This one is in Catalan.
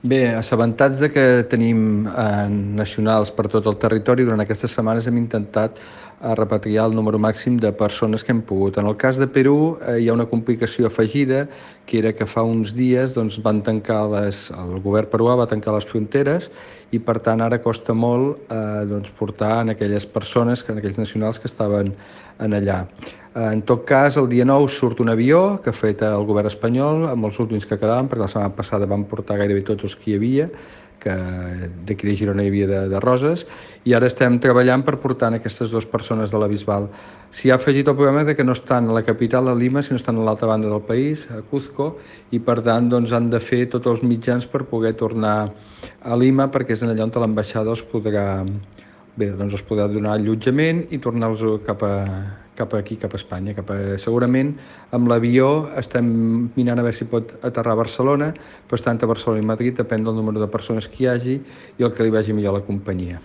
Bé, assabentats de que tenim nacionals per tot el territori, durant aquestes setmanes hem intentat repatriar el número màxim de persones que hem pogut. En el cas de Perú hi ha una complicació afegida, que era que fa uns dies van tancar el govern peruà va tancar les fronteres i per tant ara costa molt portar en aquelles persones, en aquells nacionals que estaven en allà. En tot cas, el dia 9 surt un avió que ha fet el govern espanyol amb els últims que quedaven, perquè la setmana passada van portar gairebé tots els que hi havia, que d'aquí de Girona hi havia de Roses, i ara estem treballant per portar aquestes dues persones de la Bisbal. S'hi ha afegit el problema de que no estan a la capital, a Lima, sinó estan a l'altra banda del país, a Cuzco, i per tant han de fer tots els mitjans per poder tornar a Lima, perquè és allà on l'ambaixada els podrà donar allotjament i tornar-los cap aquí, cap a Espanya. Segurament amb l'avió estem mirant a veure si pot aterrar a Barcelona, però està entre Barcelona i Madrid, depèn del número de persones que hi hagi i el que li vagi millor a la companyia.